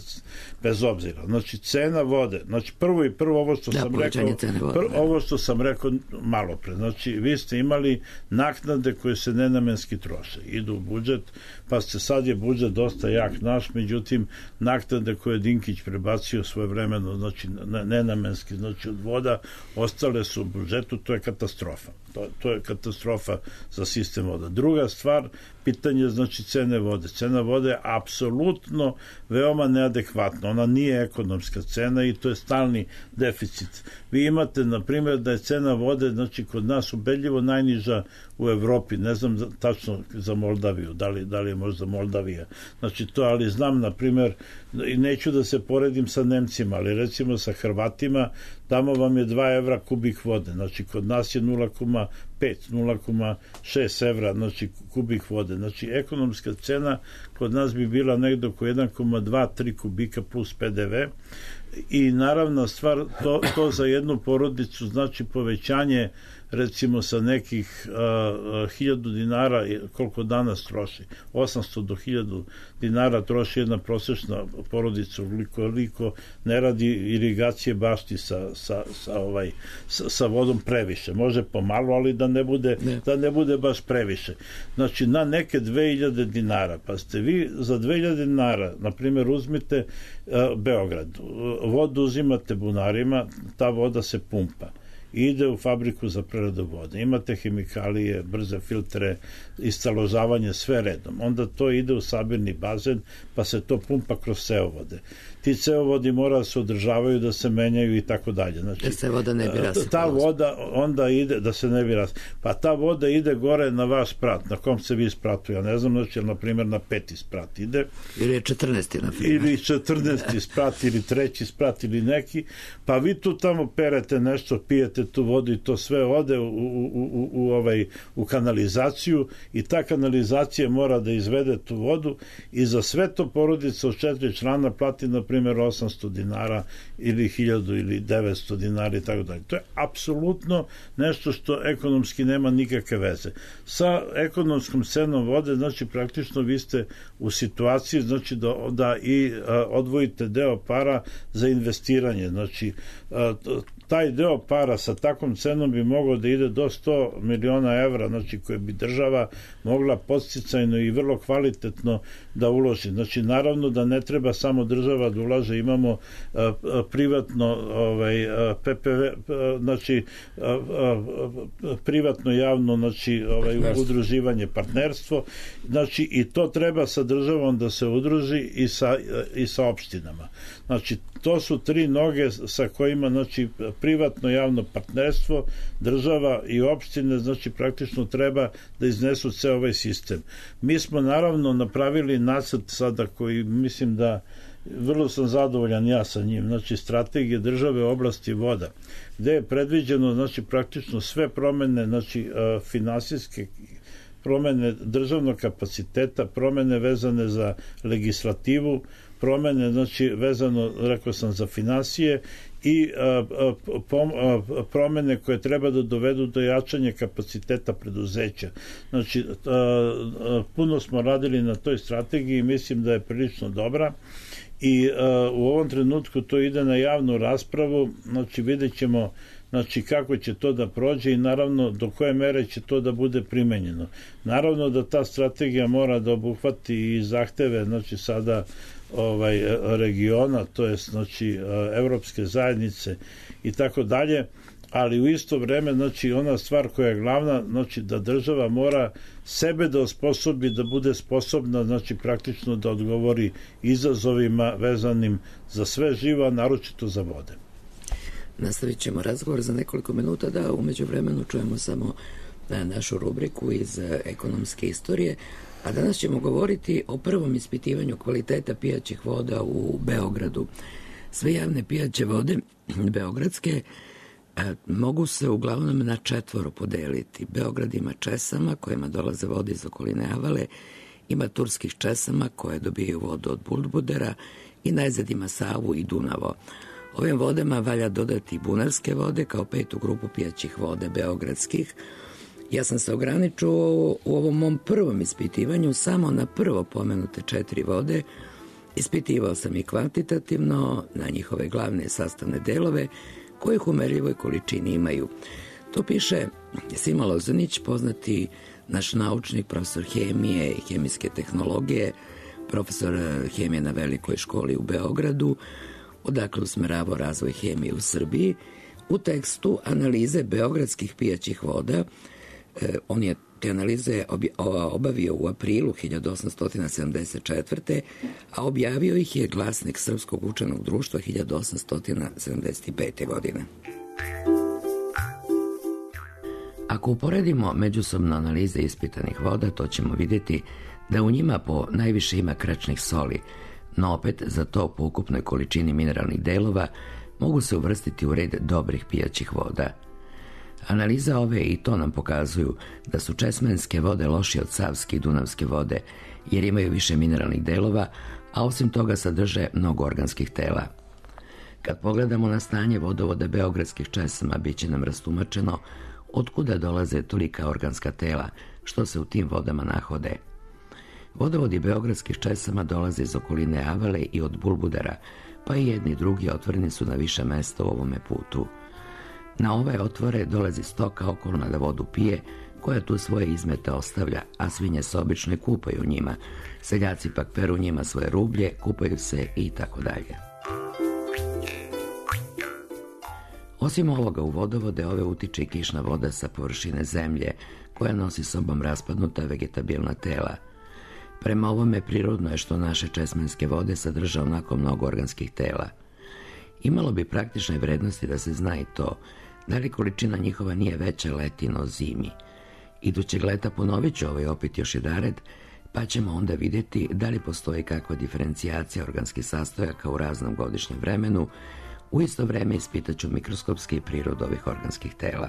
bez obzira. Znači, cena vode, znači, prvo i prvo ovo što da, sam rekao, vode, prvo, ovo što sam rekao malo pre, znači, vi ste imali naknade koje se nenamenski troše, idu u budžet, pa ste, sad je budžet dosta jak naš, međutim, naknade koje je Dinkić prebacio svoje vremeno, znači, nenamenski, znači, od voda, ostale su u budžetu, to je katastrofa. To, to je katastrofa za sistem voda. Druga stvar, pitanje, znači, cene vode. Cena vode je apsolutno veoma neadekvatna. Ona nije ekonomska cena i to je stalni deficit. Vi imate, na primjer, da je cena vode, znači, kod nas ubedljivo najniža u Evropi. Ne znam tačno za Moldaviju, da li, da li je možda Moldavija. Znači, to, ali znam, na primjer, i neću da se poredim sa Nemcima, ali recimo sa Hrvatima, tamo vam je dva evra kubik vode. Znači, kod nas je nula zarez pet, nula zarez šest evra, znači, kubik vode. Znači, ekonomska cena kod nas bi bila negde oko jedan zarez dva tri kubika plus pe de ve i naravna stvar, to, to za jednu porodicu znači povećanje recimo sa nekih uh, hiljadu dinara, koliko danas troši, osamsto do hiljadu dinara troši jedna prosečna porodica, ukoliko ne radi irigacije bašti sa, sa, sa, ovaj, sa, sa vodom previše. Može pomalo, ali da ne bude, ne. da ne bude baš previše. Znači, na neke dve hiljade dinara, pa ste vi za dve hiljade dinara, na primjer, uzmite uh, Beograd, vodu uzimate bunarima, ta voda se pumpa, ide u fabriku za preradu vode. Imate hemikalije, brze filtre, istaložavanje, sve redom. Onda to ide u sabirni bazen, pa se to pumpa kroz ceovode. Ti ceovodi mora da se održavaju, da se menjaju i tako dalje. Znači, da se voda ne bi rasipala. Ta voda onda ide, da se ne bi rasipala. Pa ta voda ide gore na vaš sprat, na kom se vi spratu, ja ne znam, znači, na primjer, na peti sprat ide. Ili je četrnaesti, na primjer. Ili četrnaesti sprat, ili treći sprat, ili neki, pa vi tu tamo perete nešto, pijete izlijete tu vodu i to sve ode u, u, u, u, ovaj, u kanalizaciju i ta kanalizacija mora da izvede tu vodu i za sve to porodica od četiri člana plati na primjer osamsto dinara ili hiljadu ili devetsto dinara i tako dalje. To je apsolutno nešto što ekonomski nema nikakve veze. Sa ekonomskom cenom vode, znači praktično vi ste u situaciji znači da, da i a, odvojite deo para za investiranje. Znači a, taj deo para sa takvom cenom bi mogao da ide do sto miliona evra, znači koje bi država mogla podsticajno i vrlo kvalitetno da uloži. Znači naravno da ne treba samo država da ulaže, imamo a, a, privatno ovaj, a, P P V, a, znači a, a, a, privatno javno znači ovaj, udruživanje, partnerstvo, znači i to treba sa državom da se udruži i sa, i sa opštinama. Znači to su tri noge sa kojima znači privatno javno partnerstvo, država i opštine znači praktično treba da iznesu ceo ovaj sistem. Mi smo naravno napravili nacrt sada koji mislim da vrlo sam zadovoljan ja sa njim, znači strategije države u oblasti voda, gde je predviđeno znači praktično sve promene, znači finansijske promene državnog kapaciteta, promene vezane za legislativu, promene znači vezano, rekao sam, za finansije i a, a, pom, a, promene koje treba da dovedu do jačanja kapaciteta preduzeća. Znači a, a, puno smo radili na toj strategiji i mislim da je prilično dobra i a, u ovom trenutku to ide na javnu raspravu, znači vidjet ćemo znači kako će to da prođe i naravno do koje mere će to da bude primenjeno. Naravno da ta strategija mora da obuhvati i zahteve znači sada ovaj regiona, to jest znači evropske zajednice i tako dalje, ali u isto vreme znači ona stvar koja je glavna, znači da država mora sebe da osposobi da bude sposobna znači praktično da odgovori izazovima vezanim za sve živo, naročito za vode. Nastavit ćemo razgovor za nekoliko minuta, da umeđu vremenu čujemo samo našu rubriku iz ekonomske istorije, a danas ćemo govoriti o prvom ispitivanju kvaliteta pijaćih voda u Beogradu. Sve javne pijaće vode beogradske mogu se uglavnom na četvoro podeliti. Beograd ima česama kojima dolaze vode iz okoline Avale, ima turskih česama koje dobijaju vodu od Bulbudera i najzad ima Savu i Dunavo. Ovim vodama valja dodati bunarske vode kao petu grupu pijaćih voda beogradskih. Ja sam se ograničio u ovom mom prvom ispitivanju samo na prvo pomenute četiri vode. Ispitivao sam i kvantitativno na njihove glavne sastavne delove kojih u merljivoj količini imaju. To piše Sima Lozanić, poznati naš naučnik, profesor hemije i hemijske tehnologije, profesor hemije na Velikoj školi u Beogradu, odakle usmeravao razvoj hemije u Srbiji. U tekstu analize beogradskih pijaćih voda, eh, on je te analize obavio u aprilu hiljadu osamsto sedamdeset četvrte. a objavio ih je Glasnik Srpskog učenog društva hiljadu osamsto sedamdeset pete. godine. Ako uporedimo međusobno analize ispitanih voda, to ćemo vidjeti da u njima po najviše ima krečnih soli, no opet za to po ukupnoj količini mineralnih delova mogu se uvrstiti u red dobrih pijaćih voda. Analiza ove i to nam pokazuju da su česmenske vode lošije od savske i dunavske vode, jer imaju više mineralnih delova, a osim toga sadrže mnogo organskih tela. Kad pogledamo na stanje vodovoda beogradskih česama, bit će nam rastumačeno otkuda dolaze tolika organska tela, što se u tim vodama nahode. Vodovodi beogradskih česama dolaze iz okoline Avale i od Bulbudara, pa i jedni i drugi otvoreni su na više mesta u ovome putu. Na ove otvore dolazi stoka okolna da vodu pije, koja tu svoje izmete ostavlja, a svinje se obično i kupaju u njima. Seljaci pak peru njima svoje rublje, kupaju se i tako dalje. Osim ovoga, u vodovode ove utiče i kišna voda sa površine zemlje, koja nosi sobom raspadnuta vegetabilna tela. Prema ovome prirodno je što naše česmenske vode sadrže onako mnogo organskih tela. Imalo bi praktične vrednosti da se zna i to, da li količina njihova nije veća leti no zimi. Idućeg leta ponovit ću ovaj opet još jedared, pa ćemo onda vidjeti da li postoji kakva diferencijacija organskih sastojaka u raznom godišnjem vremenu, U isto vreme ispitaću mikroskopski prirodu ovih organskih tela.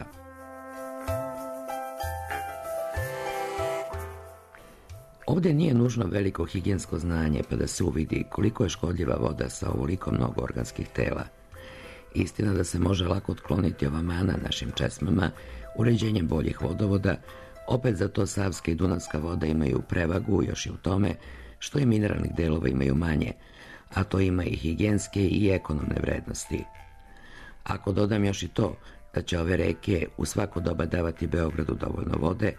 Ovdje nije nužno veliko higijensko znanje pa da se uvidi koliko je škodljiva voda sa ovoliko mnogo organskih tela. Istina da se može lako otkloniti ova mana našim česmama uređenjem boljih vodovoda, opet za to savska i dunavska voda imaju prevagu još i u tome što i mineralnih delova imaju manje, a to ima i higijenske i ekonomne vrednosti. Ako dodam još i to da će ove reke u svako doba davati Beogradu dovoljno vode,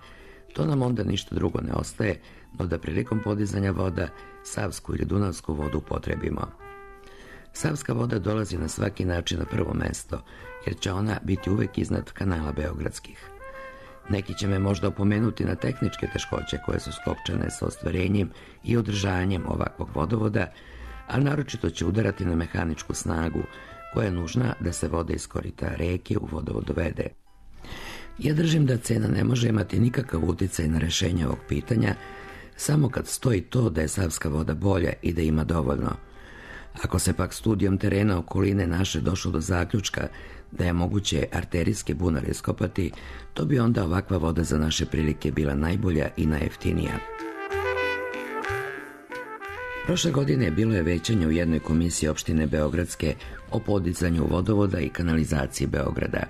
to nam onda ništa drugo ne ostaje, no da prilikom podizanja voda savsku ili dunavsku vodu upotrebimo. Savska voda dolazi na svaki način na prvo mesto, jer će ona biti uvek iznad kanala beogradskih. Neki će me možda opomenuti na tehničke teškoće koje su skopčane sa ostvarenjem i održanjem ovakvog vodovoda, a naročito će udarati na mehaničku snagu koja je nužna da se voda iz korita reke u vodovod dovede. Ja držim da cena ne može imati nikakav uticaj na rešenje ovog pitanja, samo kad stoji to da je savska voda bolja i da ima dovoljno. Ako se pak studijom terena okoline naše došlo do zaključka da je moguće arterijske bunare iskopati, to bi onda ovakva voda za naše prilike bila najbolja i najjeftinija. Prošle godine bilo je većanje u jednoj komisiji opštine Beogradske o podizanju vodovoda i kanalizaciji Beograda.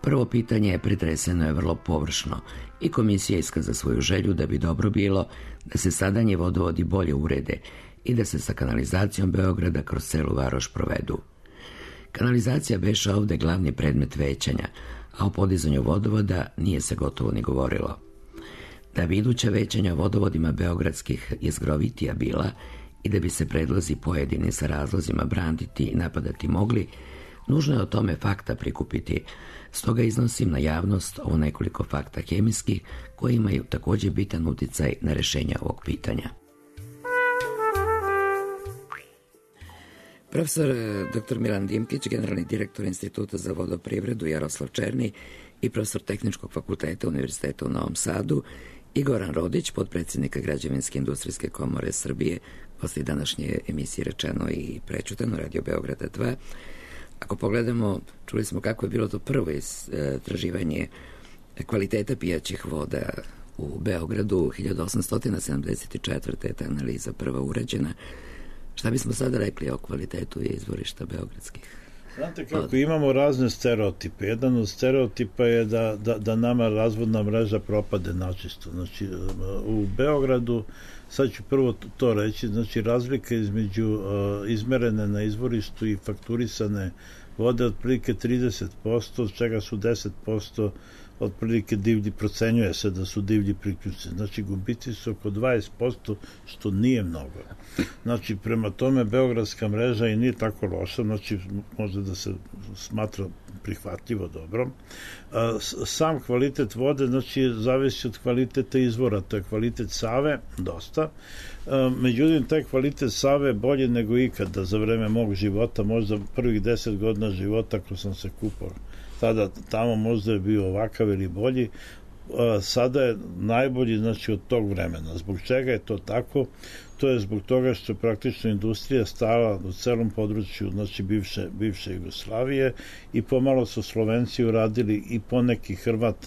Prvo pitanje pretreseno je vrlo površno i komisija iskaza svoju želju da bi dobro bilo da se sadanje vodovodi bolje urede i da se sa kanalizacijom Beograda kroz celu varoš provedu. Kanalizacija beše ovde glavni predmet većanja, a o podizanju vodovoda nije se gotovo ni govorilo. Da bi iduća većanja o vodovodima beogradskih jezgrovitija bila i da bi se predlozi pojedini sa razlozima branditi i napadati mogli, nužno je o tome fakta prikupiti, stoga iznosim na javnost ovo nekoliko fakta hemijskih koji imaju također bitan uticaj na rešenje ovog pitanja. Profesor doktor Milan Dimkić, generalni direktor Instituta za vodoprivredu Jaroslav Černi i profesor Tehničkog fakulteta Univerziteta u Novom Sadu i Goran Rodić, potpredsjednika Građevinske industrijske komore Srbije, posle današnje emisije Rečeno i prećutano, Radio Beograda dva. Ako pogledamo, čuli smo kako je bilo to prvo istraživanje kvaliteta pijaćih voda u Beogradu, hiljadu osamsto sedamdeset četvrte. ta analiza prva urađena. Šta bismo sada rekli o kvalitetu izvorišta beogradskih? Znate kako, imamo razne stereotipe. Jedan od stereotipa je da, da, da nama razvodna mreža propade načisto. Znači, u Beogradu, sad ću prvo to reći, znači razlika između uh, izmerene na izvorištu i fakturisane vode otprilike trideset posto, od čega su deset posto otprilike divlji, procenjuje se da su divlji priključci. Znači, gubici su oko dvadeset posto, što nije mnogo. Znači, prema tome, beogradska mreža i nije tako loša, znači, može da se smatra prihvatljivo dobro. Sam kvalitet vode, znači, zavisi od kvaliteta izvora, to je kvalitet Save, dosta. Međutim, taj kvalitet Save je bolji nego ikada za vreme mog života, možda prvih deset godina života ako sam se kupao. Tada tamo možda je bio ovakav ili bolji, sada je najbolji, znači, od tog vremena. Zbog čega je to tako? To je zbog toga što je praktično industrija stala u celom području, znači, bivše, bivše Jugoslavije i pomalo su Slovenci uradili i poneki Hrvat,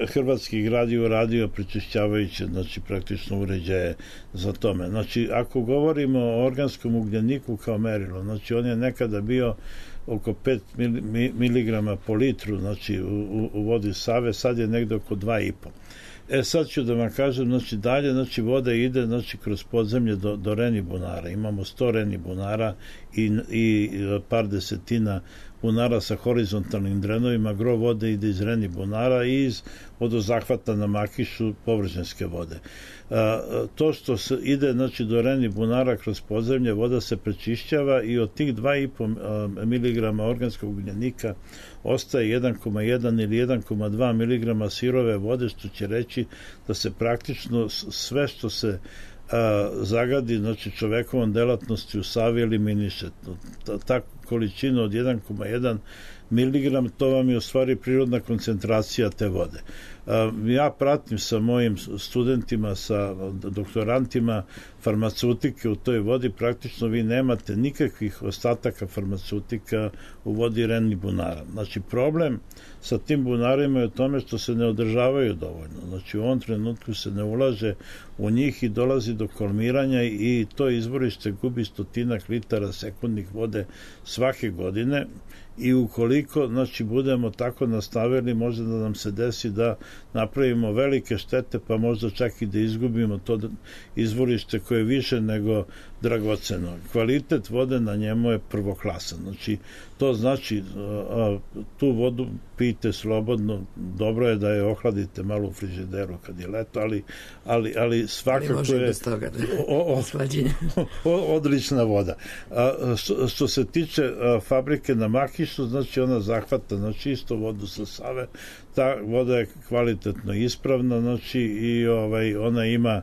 hrvatski grad je uradio prečišćavajuće, znači, praktično uređaje za tome. Znači, ako govorimo o organskom ugljeniku kao merilo, znači, on je nekada bio oko pet miligrama po litru, znači, u, u vodi Save, sad je negde oko dva i po. E, sad ću da vam kažem, znači, dalje, znači, voda ide, znači, kroz podzemlje do, do Reni bunara. Imamo sto Reni bunara i, i par desetina bunara sa horizontalnim drenovima. Gro vode ide iz Reni bunara i iz vodozahvata na Makišu površinske vode. A, to što se ide, znači, do Reni bunara kroz podzemlje, voda se prečišćava i od tih dva i po miligrama organskog ugljenika ostaje jedan zarez jedan ili jedan zarez dva miligrama sirove vode, što će reći da se praktično sve što se a, zagadi, znači, čovekovom delatnosti u Savi eliminiše. Ta, ta količina od jedan zarez jedan miligram, to vam je u stvari prirodna koncentracija te vode. Ja pratim sa mojim studentima, sa doktorantima farmaceutike u toj vodi, praktično vi nemate nikakvih ostataka farmaceutika u vodi Ren bunara. Znači, problem sa tim bunarima je u tome što se ne održavaju dovoljno. Znači, u ovom trenutku se ne ulaže u njih i dolazi do kolmiranja i to izvorište gubi stotinak litara sekundnih vode svake godine. I ukoliko, znači, budemo tako nastavili, može da nam se desi da napravimo velike štete, pa možda čak i da izgubimo to izvorište koje je više nego dragoceno. Kvalitet vode na njemu je prvoklasan. Znači, to znači a, tu vodu pijte slobodno, dobro je da je ohladite malo u frižideru kad je leto, ali, ali, ali svakako je toga, da. o, o, o, odlična voda. A, što, što se tiče a, fabrike na Makišu, znači ona zahvata na čisto vodu sa Save, ta voda je kvalitetno ispravna, znači i ovaj, ona ima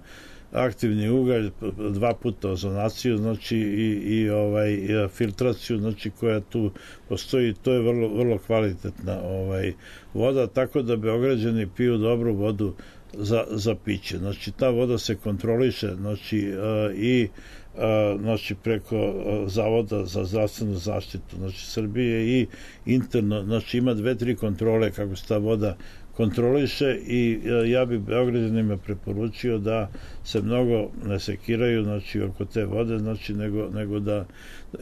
aktivni ugalj, dva puta ozonaciju, znači i, i ovaj i filtraciju, znači koja tu postoji, to je vrlo, vrlo kvalitetna ovaj voda, tako da Beograđani piju dobru vodu za, za piće. Znači ta voda se kontroliše, znači uh, i uh, znači preko uh, Zavoda za zdravstvenu zaštitu, znači Srbije, i interno, znači ima dve, tri kontrole kako se ta voda kontroliše i ja bi Beograđanima preporučio da se mnogo ne sekiraju, znači, oko te vode, znači, nego, nego da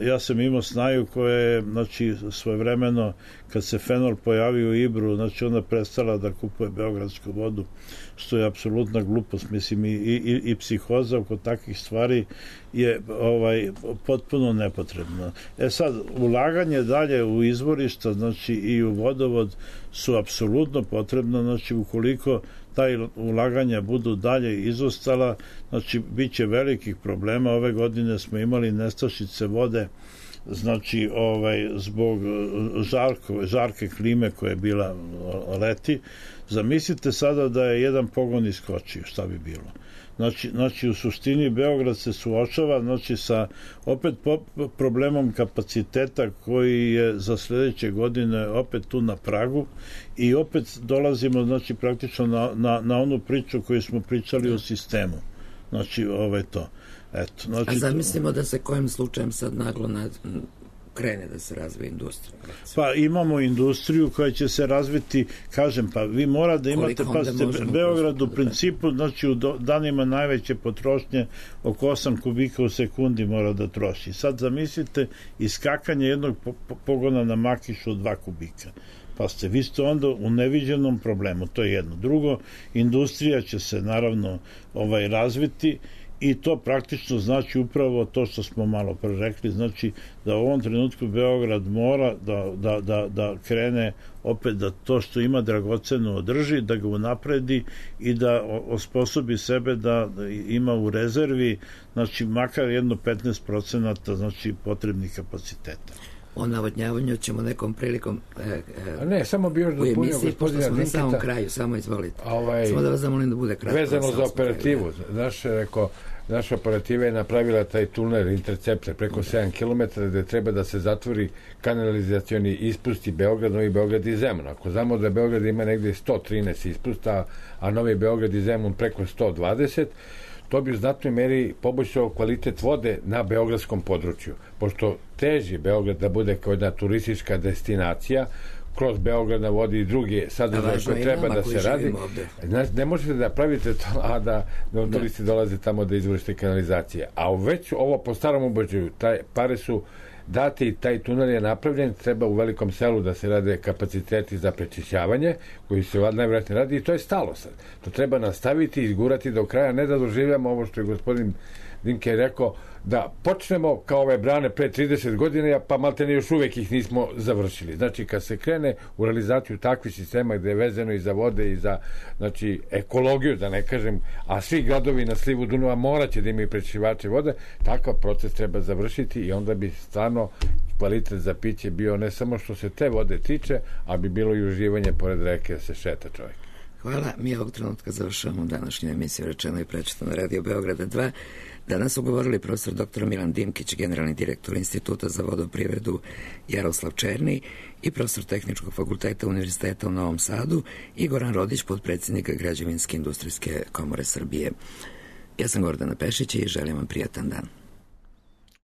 ja sam imao snaju koja je, znači, svojevremeno kad se fenol pojavio u Ibru, znači ona prestala da kupuje beogradsku vodu, što je apsolutna glupost, mislim, i, i, i psihoza oko takvih stvari je ovaj potpuno nepotrebno. E sad, ulaganje dalje u izvorišta, znači i u vodovod su apsolutno potrebno, znači ukoliko taj ulaganja budu dalje izostala, znači bit će velikih problema. Ove godine smo imali nestašice vode, znači ovaj zbog žarko, žarke klime koja je bila leti. Zamislite sada da je jedan pogon iskočio, šta bi bilo? Znači, znači u suštini Beograd se suočava, znači, sa opet po, problemom kapaciteta koji je za sledeće godine opet tu na pragu i opet dolazimo, znači, praktično na, na, na onu priču koju smo pričali o sistemu. Znači, ovaj to. Eto, znači, a zamislimo da se kojim slučajem sad naglo nad, krene da se razvije industrija. Pa imamo industriju koja će se razviti, kažem, pa vi mora da imate, pa ste Beograd u principu, znači u danima najveće potrošnje oko osam kubika u sekundi mora da troši. Sad zamislite iskakanje jednog pogona na Makišu od dva kubika. Pa ste, vi ste onda u neviđenom problemu, to je jedno. Drugo, industrija će se naravno ovaj razviti i to praktično znači upravo to što smo malo pre rekli, znači da u ovom trenutku Beograd mora da, da, da, da krene opet da to što ima dragoceno održi, da ga unapredi i da osposobi sebe da ima u rezervi, znači makar jedno petnaest procenata znači potrebnih kapaciteta. O navodnjavanju ćemo nekom prilikom e, e, ne, samo bi još u emisiji, pošto smo na samom kraju, samo izvolite. Ovaj, samo da vas zamolim da bude kratko. Vezano za operativu, znaš, rekao, naša operativa je napravila taj tunel interceptor preko sedam kilometara gde treba da se zatvori kanalizacioni ispusti Beograd, Novi Beograd i Zemun. Ako znamo da Beograd ima negde sto trinaest ispusta, a Novi Beograd i Zemun preko sto dvadeset, to bi u znatnoj meri poboljšao kvalitet vode na beogradskom području. Pošto teži Beograd da bude kao jedna turistička destinacija, kroz Beograd na vodi i druge sadržaje koje treba da se radi. Znači, ne možete da pravite to, a da, da turisti dolaze tamo da izvršite kanalizacije. A već ovo po starom obođaju, taj pare su dati i taj tunel je napravljen, treba u Velikom Selu da se rade kapaciteti za prečišćavanje, koji se najvjerojatnije radi i to je stalo sad. To treba nastaviti i izgurati do kraja, ne da doživljamo ovo što je gospodin Dinke rekao, da počnemo kao ove brane pre trideset godina, pa maltene još uvek ih nismo završili. Znači, kad se krene u realizaciju takvih sistema gde je vezano i za vode i za, znači, ekologiju, da ne kažem, a svi gradovi na slivu Dunava moraće da imaju prečišćivače vode, takav proces treba završiti i onda bi stvarno kvalitet za piće bio ne samo što se te vode tiče, a bi bilo i uživanje pored reke da se šeta čovjek. Hvala, mi ovog trenutka završavamo današnju emisiju Rečeno i prečitano na Radio Beograda dva. Danas su govorili profesor doktor Milan Dimkić, generalni direktor Instituta za vodoprivredu Jaroslav Černi i profesor Tehničkog fakulteta Univerziteta u Novom Sadu i Goran Rodić, potpredsjednik Građevinske industrijske komore Srbije. Ja sam Gordana Pešić i želim vam prijatan dan.